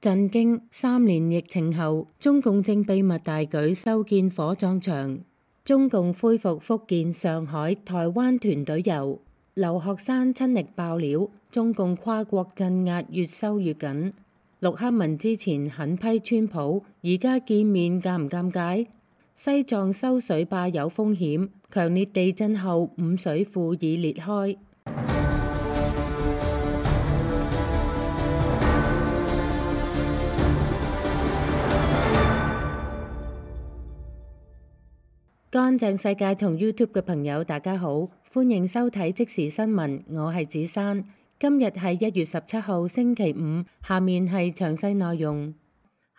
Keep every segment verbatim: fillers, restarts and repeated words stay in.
震驚！三年疫情後，中共正秘密大舉修建火葬場。中共恢復福建、上海、台灣團隊遊。劉學山親歷爆料，中共跨國鎮壓越收越緊。陸克文之前狠批川普，而家見面尷唔尷尬？西藏修水壩有風險，強烈地震後五水庫已裂開。乾淨世界同 YouTube 嘅朋友大家好，歡迎收睇即時新聞，我係子珊。今日係一月十七號星期五，下面係詳細內容。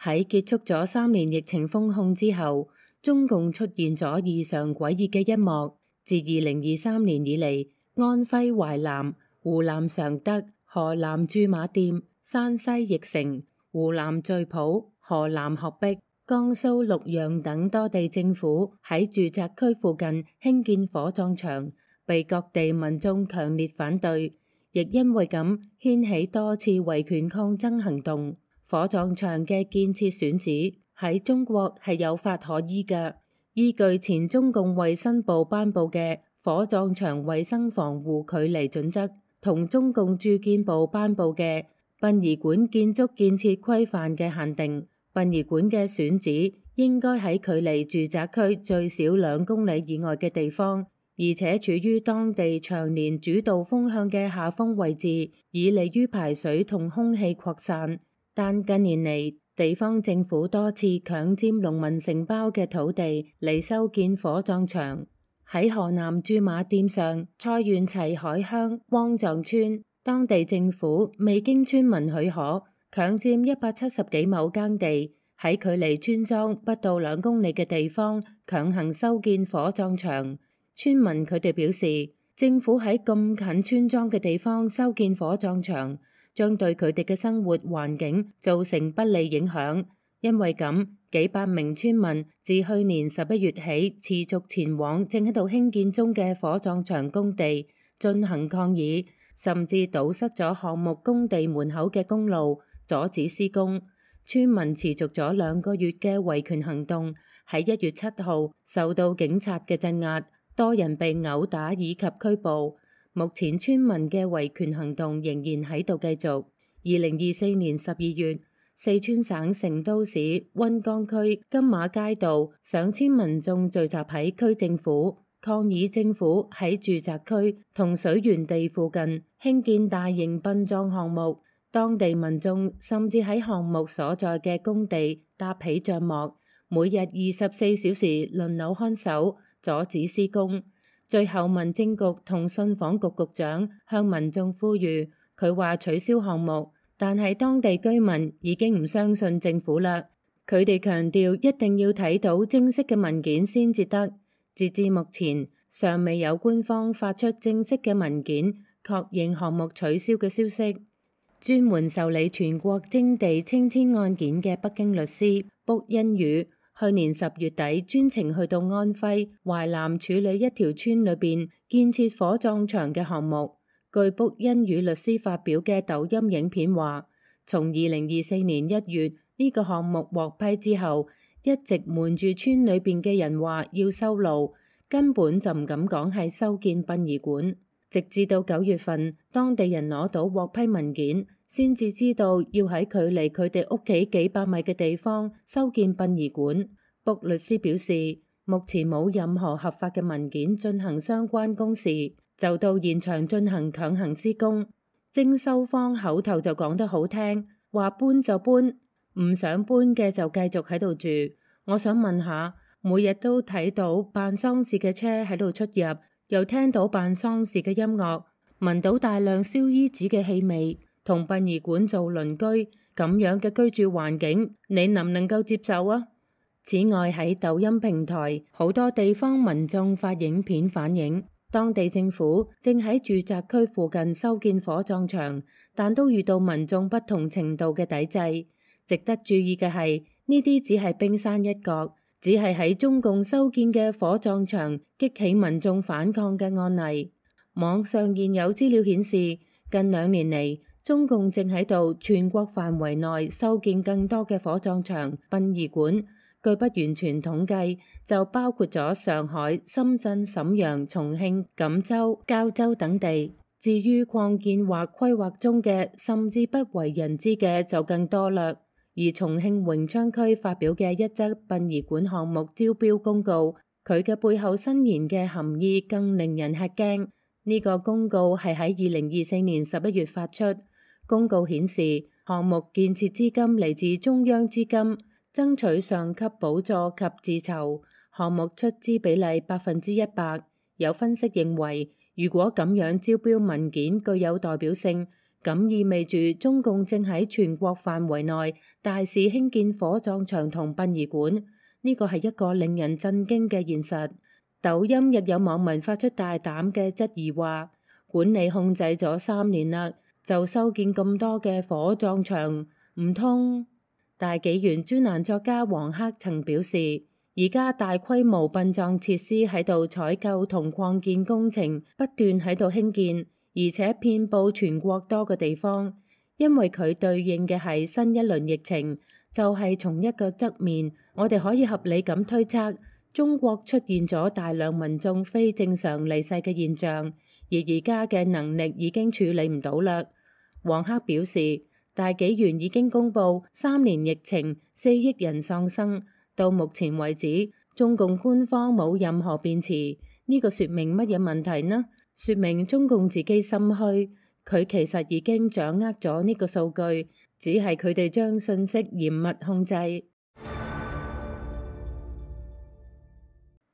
喺結束咗三年疫情封控之後，中共出現咗異常詭異嘅一幕。自二零二三年以嚟，安徽淮南、湖南常德、河南駐馬店、山西翼城、湖南滍浦、河南鶴壁、江蘇綠陽等多地政府喺住宅區附近興建火葬場，被各地民眾強烈反對，亦因為咁掀起多次維權抗爭行動。火葬場嘅建設選址喺中國係有法可依嘅，依據前中共衛生部頒布嘅火葬場衛生防護距離準則，同中共住建部頒布嘅殯儀館建築建設規範嘅限定。殯儀館嘅選址應該喺距離住宅區最少兩公里以外嘅地方，而且處於當地長年主導風向嘅下風位置，以利於排水同空氣擴散。但近年嚟，地方政府多次強佔農民承包嘅土地嚟修建火葬場。喺河南駐馬店上蔡縣齊海鄉汪藏村，當地政府未經村民許可，強佔一百七十幾畝耕地，喺距離村莊不到兩公里嘅地方強行修建火葬場。村民佢哋表示，政府喺咁近村莊嘅地方修建火葬場，將對佢哋嘅生活環境造成不利影響。因為咁，幾百名村民自去年十一月起持續前往正喺度興建中嘅火葬場工地進行抗議，甚至堵塞咗項目工地門口嘅公路，阻止施工。村民持續咗兩個月嘅維權行動，喺一月七號受到警察嘅鎮壓，多人被毆打以及拘捕。目前村民嘅維權行動仍然喺度繼續。二零二四年十二月，四川省成都市溫江區金馬街道上千民眾聚集喺區政府，抗議政府喺住宅區同水源地附近興建大型殯葬項目。當地民眾甚至喺項目所在嘅工地搭起帳幕，每日二十四小時輪流看守，阻止施工。最後民政局同信訪局局長向民眾呼籲，佢話取消項目，但係當地居民已經唔相信政府啦。佢哋強調一定要睇到正式嘅文件先至得。截至目前，尚未有官方發出正式嘅文件確認項目取消嘅消息。專門受理全國徵地清遷案件嘅北京律師卜恩宇，去年十月底專程去到安徽淮南處理一條村裏邊建設火葬場嘅項目。據卜恩宇律師發表嘅抖音影片話，從二零二四年一月呢個項目獲批之後，一直瞞住村裏邊嘅人話要修路，根本就唔敢講係修建殯儀館。直至到九月份，當地人攞到獲批文件，先至知道要喺距離佢哋屋企幾百米嘅地方修建殯儀館。卜律師表示，目前冇任何合法嘅文件進行相關公事，就到現場進行強行施工。徵收方口頭就講得好聽，話搬就搬，唔想搬嘅就繼續喺度住。我想問下，每日都睇到辦喪事嘅車喺度出入，又聽到辦喪事嘅音樂，聞到大量燒衣紙嘅氣味，同殯儀館做鄰居，咁樣嘅居住環境，你能唔能夠接受啊？此外，喺抖音平台，好多地方民眾發影片反映，當地政府正喺住宅區附近修建火葬場，但都遇到民眾不同程度嘅抵制。值得注意嘅係，呢啲只係冰山一角，只係喺中共修建嘅火葬場激起民眾反抗嘅案例。網上現有資料顯示，近兩年嚟，中共正喺度全國範圍內修建更多嘅火葬場、殯儀館。據不完全統計，就包括咗上海、深圳、瀋陽、重慶、錦州、膠州等地。至於擴建或規劃中嘅，甚至不為人知嘅就更多啦。而重慶榮昌區發表嘅一則殯儀館項目招標公告，佢嘅背後伸延嘅含義更令人吃驚。呢個公告係喺二零二四年十一月發出。公告顯示，項目建設資金嚟自中央資金，爭取上級補助及自籌，項目出資比例百分之一百。有分析認為，如果咁樣招標文件具有代表性，咁意味住中共正喺全國範圍內大肆興建火葬場同殯儀館，呢個係一個令人震驚嘅現實。抖音亦有網民發出大膽嘅質疑話，管理控制咗三年啦，就修建咁多嘅火葬場，唔通？大紀元專欄作家黃克曾表示，而家大規模殯葬設施喺度採購同擴建工程不斷喺度興建，而且遍佈全國多個地方，因為佢對應嘅係新一輪疫情。就係從一個側面，我哋可以合理咁推測，中國出現咗大量民眾非正常離世嘅現象，而而家嘅能力已經處理唔到啦。黃克表示，大紀元已經公布三年疫情，四億人喪生，到目前為止，中共官方冇任何辯詞。呢個說明乜嘢問題呢？說明中共自己心虛，佢其實已經掌握咗呢個數據，只係佢哋將信息嚴密控制。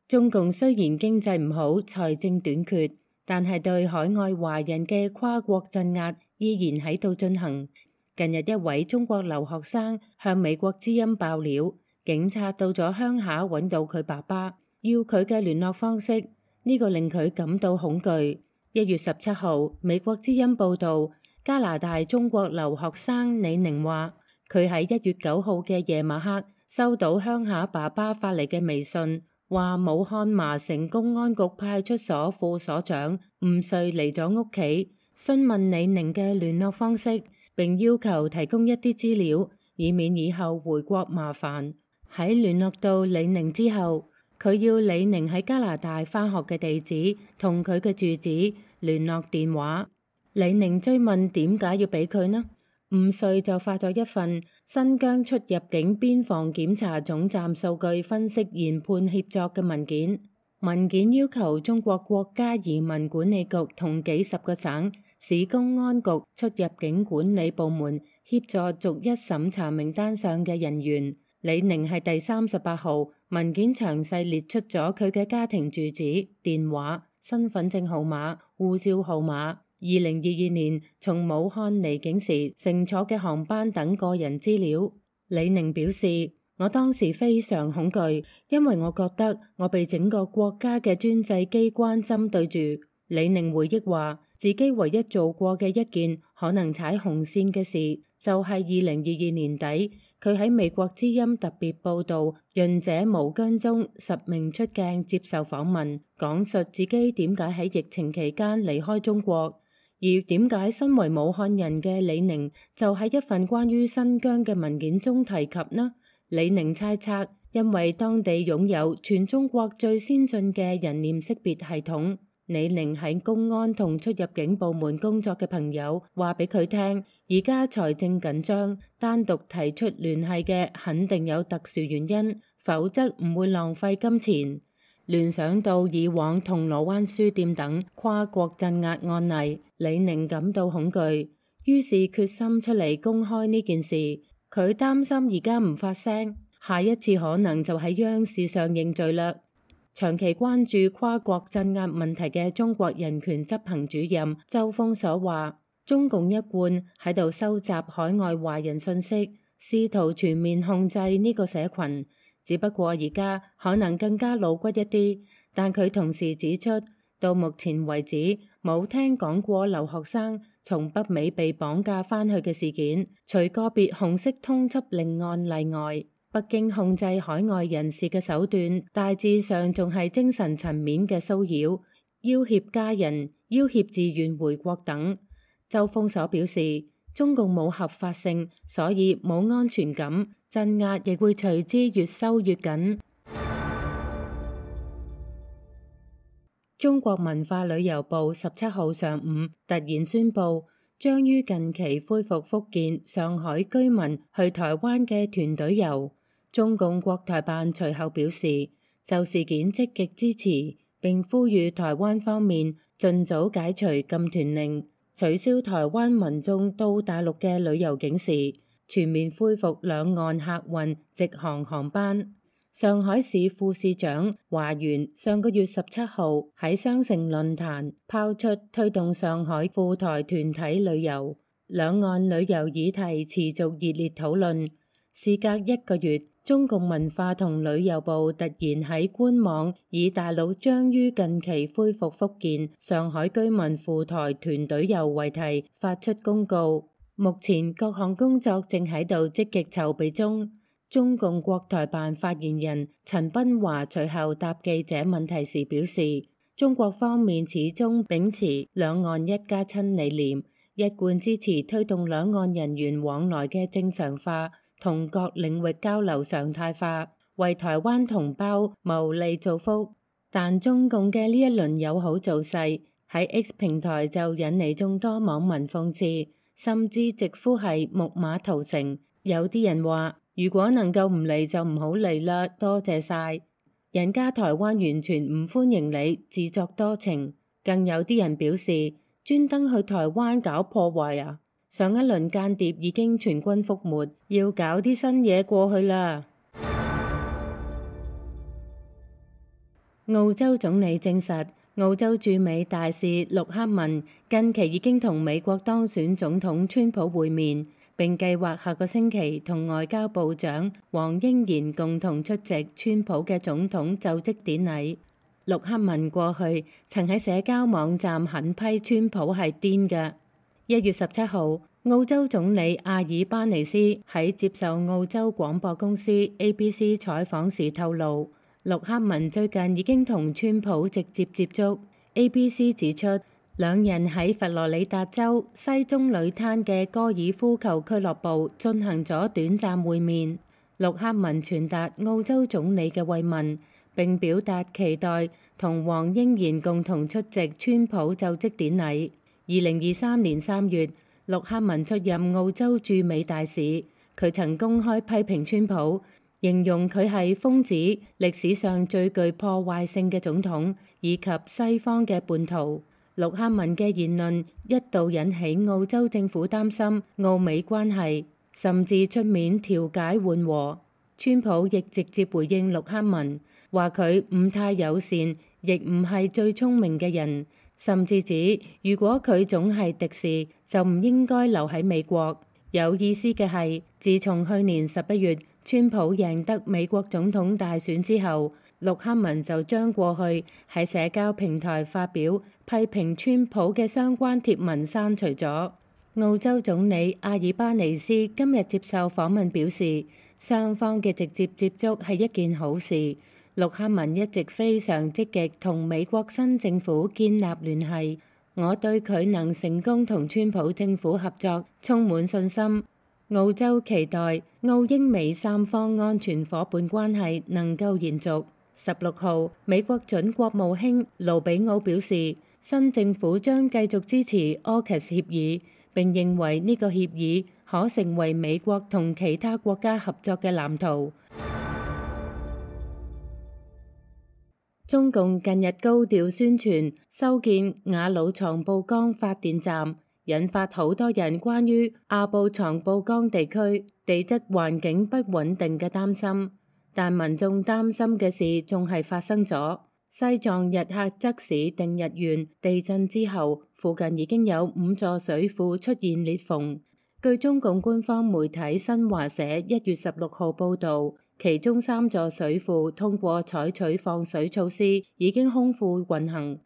中共雖然經濟唔好，財政短缺，但係對海外華人嘅跨國鎮壓依然喺度進行。近日一位中國留學生向美國之音爆料，警察到咗鄉下揾到佢爸爸，要佢嘅聯絡方式，呢個令佢感到恐懼。一月十七號，美國之音報道，加拿大中國留學生李寧話，佢喺一月九號嘅夜晚黑收到鄉下爸爸發嚟嘅微信，話武漢麻城公安局派出所副所長吳瑞嚟咗屋企，詢問李寧嘅聯絡方式，並要求提供一啲資料，以免以後回國麻煩。喺聯絡到李寧之後，佢要李寧喺加拿大返學嘅地址同佢嘅住址、聯絡電話。李寧追問點解要俾佢呢？吳瑞就發咗一份新疆出入境邊防檢查總站數據分析研判協作嘅文件。文件要求中國國家移民管理局同幾十個省市公安局出入境管理部門協助逐一審查名單上嘅人員。李寧係第三十八號，文件詳細列出咗佢嘅家庭住址、電話、身份證號碼、護照號碼、二零二二年從武漢離境時乘坐嘅航班等個人資料。李寧表示，我當時非常恐懼，因為我覺得我被整個國家嘅專制機關針對住。李寧回憶話，自己唯一做過嘅一件可能踩紅線嘅事，就係二零二二年底，佢喺美國之音特別報道《潤者無疆》中實名出鏡接受訪問，講述自己點解喺疫情期間離開中國，而點解身為武漢人嘅李寧就喺一份關於新疆嘅文件中提及呢？李寧猜測，因為當地擁有全中國最先進嘅人臉識別系統。李寧喺公安同出入境部門工作嘅朋友話俾佢聽，而家財政緊張，單獨提出聯繫嘅肯定有特殊原因，否則唔會浪費金錢。聯想到以往銅鑼灣書店等跨國鎮壓案例，李寧感到恐懼，於是決心出嚟公開呢件事。佢擔心而家唔發聲，下一次可能就喺央視上認罪啦。長期關注跨國鎮壓問題嘅中國人權執行主任周鋒所話，中共一貫喺度收集海外華人信息，試圖全面控制呢個社群，只不過而家可能更加露骨一啲。但佢同時指出，到目前為止冇聽講過留學生從北美被綁架返去嘅事件，除個別紅色通緝令案例外。北京控制海外人士嘅手段，大致上仲係精神層面嘅騷擾、要挾家人、要挾自願回國等。周鋒所表示，中共冇合法性，所以冇安全感，鎮壓亦會隨之越收越緊。中國文化旅遊部十七號上午突然宣布，將於近期恢復福建、上海居民去台灣嘅團隊遊。中共國台辦隨後表示，就事件積極支持，並呼籲台灣方面盡早解除禁團令，取消台灣民眾到大陸嘅旅遊警示，全面恢復兩岸客運直航航班。上海市副市長華元上個月十七號喺雙城論壇拋出推動上海赴台團體旅遊，兩岸旅遊議題持續熱烈討論。事隔一個月，中共文化同旅遊部突然喺官網以大陸將於近期恢復福建、上海居民赴台團隊遊為題發出公告，目前各項工作正喺度積極籌備中。中共國台辦發言人陳斌華隨後答記者問題時表示，中國方面始終秉持兩岸一家親理念，一貫支持推動兩岸人員往來嘅正常化同各領域交流常態化，為台灣同胞謀利造福。但中共嘅呢一輪友好造勢喺 X 平台就引嚟眾多網民諷刺，甚至直呼係木馬屠城。有啲人話，如果能夠唔嚟就唔好嚟啦，多謝晒。人家台灣完全唔歡迎你，自作多情。更有啲人表示，專登去台灣搞破壞啊！上一輪間諜已經全軍覆沒，要搞啲新嘢過去啦。澳洲總理證實，澳洲駐美大使陸克文近期已經同美國當選總統川普會面，並計劃下個星期同外交部長黃英賢共同出席川普嘅總統就職典禮。陸克文過去曾喺社交網站狠批川普係癲嘅。一月十七號，澳洲總理阿爾巴尼斯喺接受澳洲廣播公司 A B C 採訪時透露，陸克文最近已經同川普直接接觸。A B C 指出，兩人喺佛羅里達州西棕櫚灘嘅高爾夫球俱樂部進行咗短暫會面。陸克文傳達澳洲總理嘅慰問，並表達期待同黃英賢共同出席川普就職典禮。二零二三年三月，陸克文出任澳洲駐美大使，佢曾公開批評川普，形容佢係瘋子、歷史上最具破壞性嘅總統，以及西方嘅叛徒。陸克文嘅言論一度引起澳洲政府擔心澳美關係，甚至出面調解緩和。川普亦直接回應陸克文，話佢唔太友善，亦唔係最聰明嘅人，甚至指如果佢總係敵視，就唔應該留喺美國。有意思嘅係，自從去年十一月川普贏得美國總統大選之後，陸克文就將過去喺社交平台發表批評川普嘅相關貼文刪除咗。澳洲總理阿爾巴尼斯今日接受訪問表示，雙方嘅直接接觸係一件好事。陸克文一直非常積極同美國新政府建立聯繫，我對佢能成功同川普政府合作充滿信心。澳洲期待澳英美三方安全夥伴關係能夠延續。十六號，美國準國務卿盧比奧表示，新政府將繼續支持 AUKUS 協議，並認為呢個協議可成為美國同其他國家合作嘅藍圖。中共近日高調宣傳修建雅魯藏布江發電站，引發好多人關於阿布藏布江地區地質環境不穩定嘅擔心。但民眾擔心嘅事仲係發生咗。西藏日喀則市定日縣地震之後，附近已經有五座水庫出現裂縫。據中共官方媒體新華社一月十六號報導，其中三座水庫通過採取放水措施，已經空庫運行。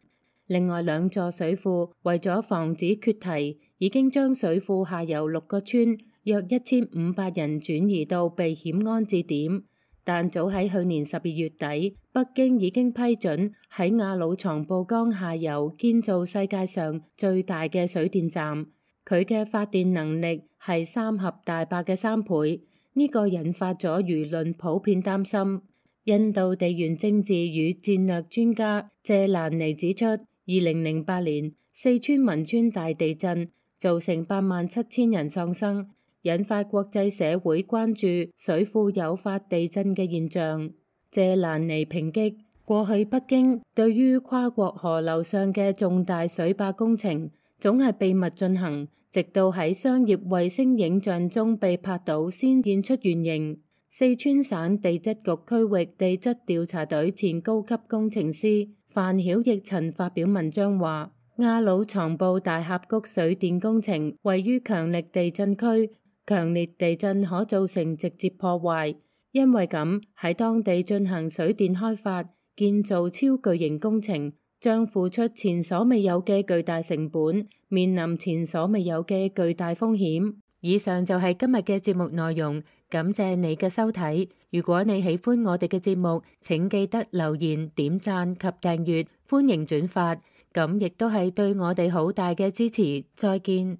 另外兩座水庫為咗防止決堤，已經將水庫下游六個村約一千五百人轉移到避險安置點。但早喺去年十二月底，北京已經批准喺雅魯藏布江下游建造世界上最大嘅水電站。佢嘅發電能力係三峽大壩嘅三倍。呢個引發咗輿論普遍擔心。印度地緣政治與戰略專家謝蘭尼指出，二零零八年四川汶川大地震造成八萬七千人喪生，引發國際社會關注水庫誘發地震嘅現象。謝蘭尼抨擊，過去北京對於跨國河流上嘅重大水壩工程總係秘密進行，直到喺商業衛星影像中被拍到先現出原形。四川省地質局區域地質調查隊前高級工程師范曉奕曾發表文章話，亞魯藏布大峽谷水電工程位於強力地震區，強烈地震可造成直接破壞，因為咁喺當地進行水電開發、建造超巨型工程，將付出前所未有嘅巨大成本，面臨前所未有嘅巨大風險。以上就係今日嘅節目內容，感謝你嘅收睇。如果你喜歡我哋嘅節目，請記得留言、點讚及訂閱，歡迎轉發，咁亦都係對我哋好大嘅支持。再見。